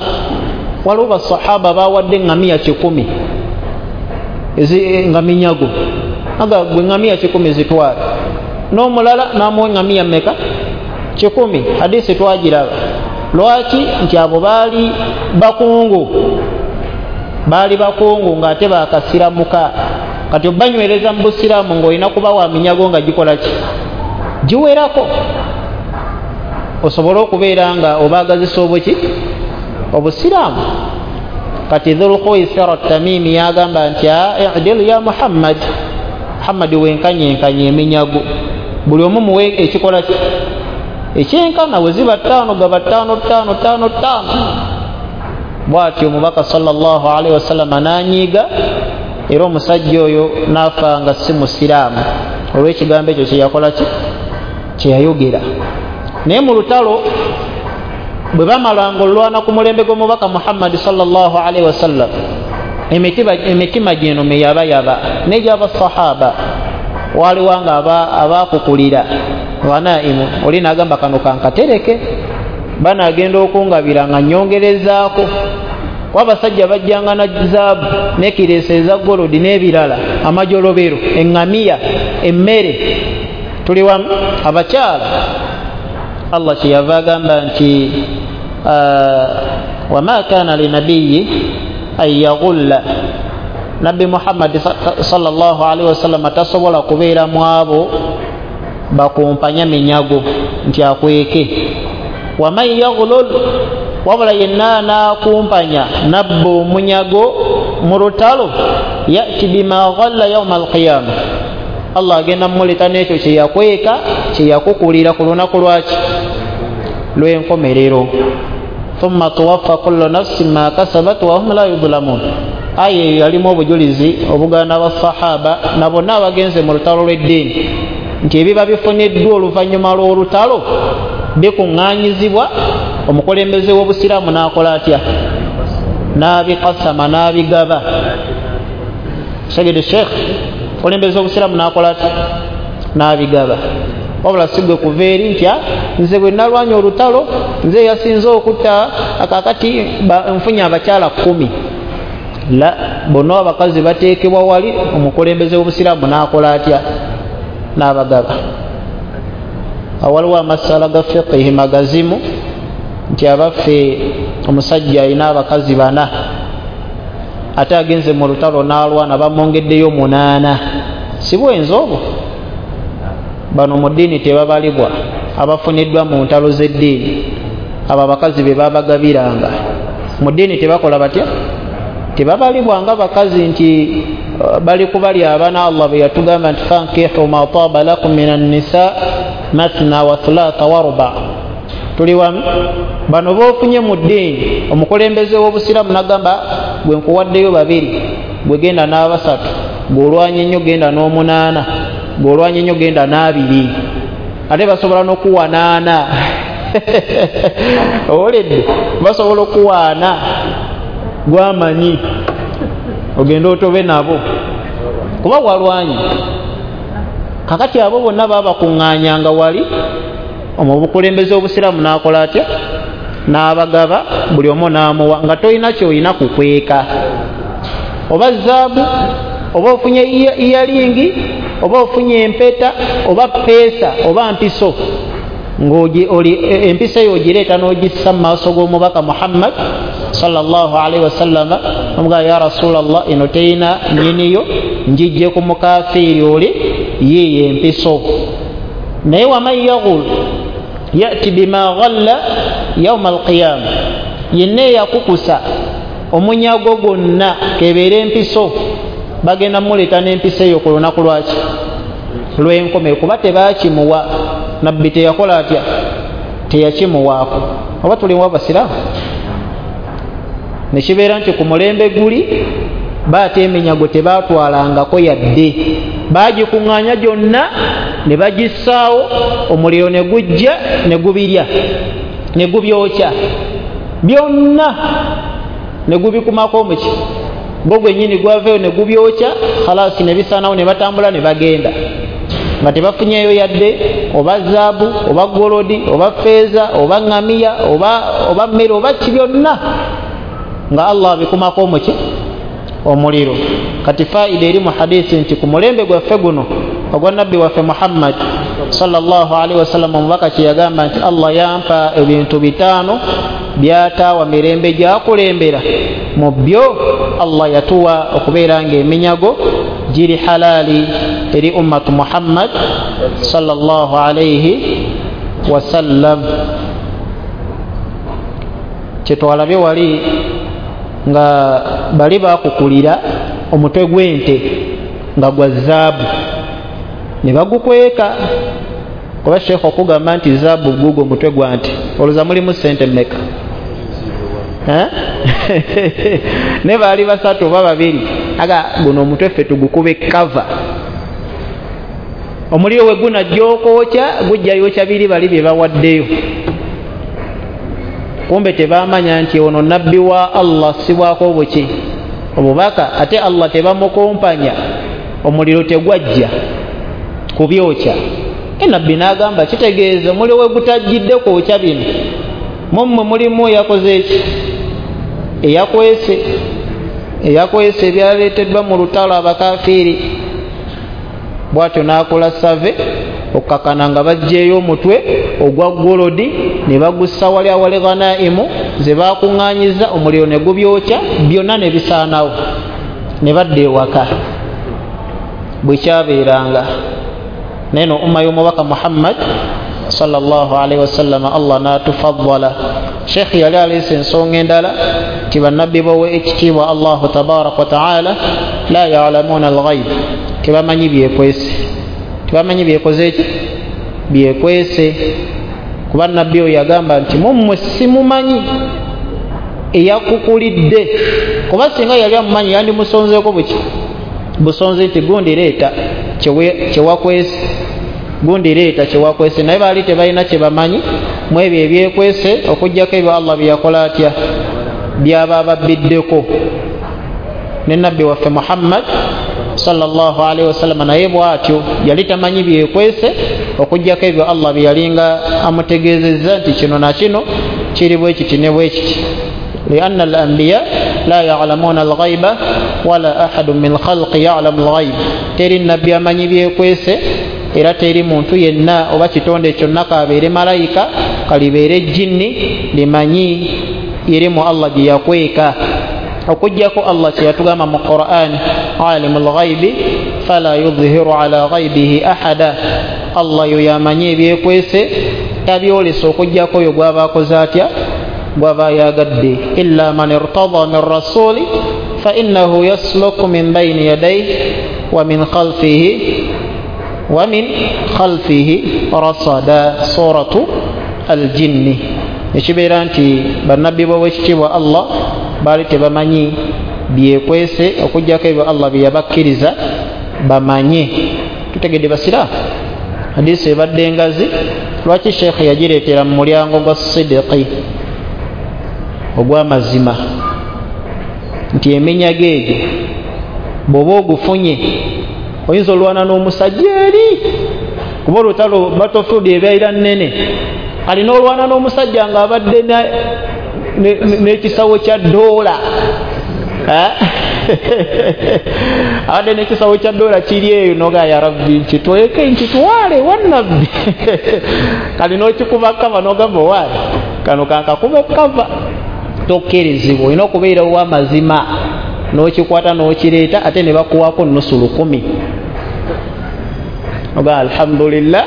waliwo basahaba bawadde eŋŋamiya kikumi nga minyago, aga gwe ŋŋamiya kikumi zitwala, n'omulala n'amuwa eŋŋamiya mmeka? Kikumi. Hadisi twagiraba. Lwaki? Nti abo baali bakungu, baali bakungu ng'ate bakasiramuka. Kati obanywereza mu busiraamu ng'olina kubawa minyago nga gikola ki? Giwerako, osobole okubeera nga obaagazisa obuki? Obusiraamu. Kati Dhulkhuwaisira Tamimi yagamba nti idil ya Muhammad, Muhammad wenkanyenkanye eminyago, buli omu muwe ekikola ki? Ekyenkana. Bwe ziba ttaano gaba ttaano ttaano ttaano ttaano. Bw'atyo omubaka sallallahu alaihi wasallama n'anyiiga, era omusajja oyo n'afa nga si musiraamu olw'ekigambo ekyo kyeyakola ki? Kyeyayogera. Naye mu lutalo bwe bamalanga olwana ku mulembe gw'omubaka Muhammad sallallahu alaihi wasallam, emitima gino meyabayaba n'egy'abasahaba waliwo nga abakukulira ghanaimu, oli n'agamba kano kankatereke, banagenda okungabira nga nyongerezaako. Kuba abasajja bajjanga na zaabu n'ekireesa eza golodi n'ebirala, amajolobero, eŋŋamiya, emmere. Tuli wamu abakyala. Allah kyeyava agamba nti wama kana linabiyi an yaghulla, Nabbi Muhammad sallallahu alaihi wasallam tasobola kubeera mu abo bakumpanya minyago nti akweke. Waman yaghlul, wabula yenna anaakumpanya nabba omunyago mu lutalo, yati bima ghalla yauma alqiyama, Allah agenda mumuleta n'ekyo kyeyakweka kyeyakukulira ku lunaku lwaki? Lw'enkomerero. Thumma tuwaffa kullu nafsin ma kasabat wa hum la yudlamun. Aya eyo yalimu obujulizi obugaana basahaba na bonna abagenze mu lutalo lw'eddiini nti ebiba bifuniddwa oluvannyuma lw'olutalo bikuŋŋaanyizibwa, omukulembeze w'obusiraamu n'akola atya? N'abikasama, n'abigaba. Segede Sheikh, omukulembeze w'obusiraamu n'akola atya? N'abigaba. Wabula si gwe kuva eri nti nze bwe nalwanya olutalo nze yasinze okutta, akakati nfunye abakyala kkumi. La, bonna abakazi bateekebwa wali, omukulembeze w'obusiraamu n'akola atya? N'abagaba. Awaliwo amasala ga fiqihi magazimu nti abaffe omusajja alina abakazi bana ate agenze mu lutalo n'alwana bamwongeddeyo munaana, si bwenzi obwo? Bano mu ddiini tebabalibwa, abafuniddwa mu ntalo z'eddiini abo abakazi be babagabiranga mu ddiini tebakola batya? Tebabalibwa nga bakazi nti bali kubali abana. Allah bwe yatugamba nti fankihu ma taba lakum minan nisa mathna wa thulatha wa ruba. Tuli wamu? Bano boofunye mu ddiini, omukulembeze w'obusiraamu n'agamba gwe nkuwaddeyo babiri, gwe genda n'abasatu, gw'olwanye nnyo genda n'omunaana, gw'olwanye nnyo genda n'abiri, ate basobola n'okuwanaana. Owuledde? Basobola okuwaana gwamanyi ogenda otobe nabo kuba walwanye. Kakati abo bonna babakuŋŋaanyanga wali, omubukulembeze obusiraamu n'akola atya? N'abagaba, buli omu n'amuwa nga tolina ky'olina kukweka, oba zaabu, oba ofunye iyalingi, oba ofunye empeta, oba peesa, oba mpiso, ng'empiso eyo ogireeta n'ogissa mu maaso g'omubaka Muhammad sallallahu alaihi wasallam, omugamba ya Rasulallah, eno terina nnyiniyo, njijje ku mukafiiri oli yiiyo empiso. Naye waman yaghul yati bima ghalla yauma alqiyama, yenna eyakukusa omunyago gwonna kebeera empiso, bagenda muleeta n'empiso eyo ku lunaku lwaki? Lw'enkomerero, kuba tebakimuwa. Nabbi teyakola atya? Teyakimuwaako. Oba tulimu abasiraamu? Nekibeera nti ku mulembe guli baate eminyago tebaatwalangako yadde, baagikuŋŋaanya gyonna Ne bagissaawo, omuliro ne gujja ne gubirya ne gubyokya byonna, ne gubikumako omuki gwo gwennyini gwaveeyo ne gubyokya, khalasi ne bisaanawo, ne batambula ne bagenda nga tebafunyeeyo yadde oba zaabu oba golodi oba feeza oba ŋŋamiya oba oba mmere oba ki, byonna nga Allah abikumako omuki omuliro. Kati faida eri mu hadisi nti ku mulembe gwaffe guno ogwa nabbi waffe Muhammad sallallahu alaihi wasallam, omubaka kye yagamba nti Allah yampa ebintu bitaano byataawa mirembe gyakulembera, mu byo Allah yatuwa okubeera ng'eminyago giri halali eri ummatu Muhammad sallallahu alaihi wasallam. Kyetwalabye wali nga bali bakukulira omutwe gw'ente nga gwa zaabu ne bagukweka, kuba sheekh okugamba nti zaabu gugo omutwe gwa nte, olowooza mulimu ssente mmeka? Ne baali basatu oba babiri, aga guno omutwe ffe tugukube kava, omuliro we gunajja okwokya gujja yokya biri bali bye bawaddeyo. Kumbe tebamanya nti ono nabbi wa Allah sibwako obuki obubaka, ate Allah tebamukumpanya, omuliro tegwajja kubyokya. Nabbi n'agamba kitegeeza omuliro we gutajjidde kwokya bino, mummwe mulimu eyakoze eki eyakwese eyakwese ebyaleeteddwa mu lutalo abakafiiri. Bw'atyo n'akola save okukakana nga baggyeyo omutwe ogwa golodi ne bagussa wali awali ghanaimu ze baakuŋŋaanyiza, omuliro ne gubyokya byonna ne bisaanawo, ne badda ewaka. Bwe kyabeeranga naye no umma y'omubaka Muhammad sallallahu alaihi wasallam Allah n'atufaddala. Sheikh yali aleese ensonga endala nti bannabbi bowe ekitiibwa Allahu tabaraka wa taala la ya'lamuuna al-ghaib, tebamanyi byekwese, tebamanyi byekoze ki byekwese. Kuba nabbi oyo yagamba nti mummwe simumanyi eyakukulidde, kuba singa yali amumanyi yandimusonzeeko buki busonze nti gundi leeta kyewakwese, gundi leeta kyewakwese. Naye baali tebalina kye bamanyi mu ebyo ebyekwese okuggyako ebyo Allah bye yakola atya byaba ababbiddeko. Ne nabbi waffe Muhammad sallallahu alaihi wasallam naye bw'atyo yali tamanyi byekwese okuggyako ebyo Allah bye yalinga amutegeezezza nti kino na kino kiri bwe kiti ne bwe kiti. Lianna al-anbiya la ya'lamuna al-ghaiba wala ahadun min khalqi ya'lamu al-ghaib, teri nabbi amanyi byekwese era teri muntu yenna oba kitonde kyonna kabeere malayika kalibeere jinni limanyi irimu Allah gye yakweka, okuggyako Allah kye yatugamba mu Qur'an alimul ghaibi fala yudhiru ala ghaibihi ahada, Allah yo yamanyi ebyekwese tabyolesa okuggyako oyo gw'aba akoze atya gw'aba ayagadde. Illa man irtada min rasuli fa innahu yasluku min bayni yadayhi wa min khalfihi wa min khalfihi rasada, suratu al-jinni. Ekibeera nti bannabbi b'owekitiibwa Allah baali tebamanyi byekwese okuggyako ebyo Allah bye yabakkiriza bamanye. Tutegedde basiraamu, hadisi ebadde engazi. Lwaki sheekh yagireetera mu mulyango gwa sidiqi ogw'amazima, nti eminyago egyo bw'oba ogufunye oyinza olwana n'omusajja eri, kuba olutalo battlefield ebeera nnene, alina olwana n'omusajja ng'abadde n'ekisawo kya ddoola, abadde n'ekisawo kya ddoola kiri eyo noga ya rabbi nkitweke nkitwale wannabbi, kali n'okikuba kava n'ogamba owaale kano kankakuba kava. Tokkirizibwa, olina okubeera ow'amazima n'okikwata n'okireeta, ate ne bakuwaako nusu lukumi oga alhamdulillah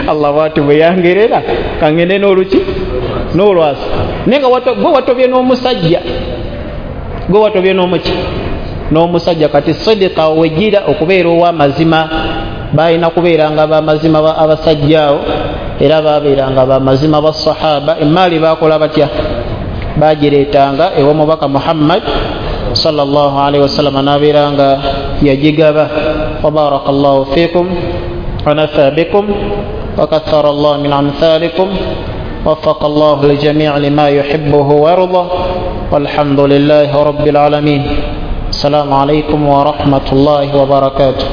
Allah bw'ati bwe yangerera kangende n'oluki n'olwasa. Naye nga gwe watobye n'omusajja, gwe watobye n'omuki n'omusajja. Kati sidika wegira okubeera ow'amazima, balina kubeeranga b'amazima abasajja awo, era babeeranga b'amazima basahaba. Emaali baakola batya? Bagireetanga ew'omubaka Muhammad sallallahu alaihi wasallam n'abeeranga yagigaba. Wa barakallahu fikum. ونفع بكم وكثر الله من أمثالكم، وفق الله الجميع لما يحبه ويرضى، والحمد لله رب العالمين. السلام عليكم ورحمة الله وبركاته.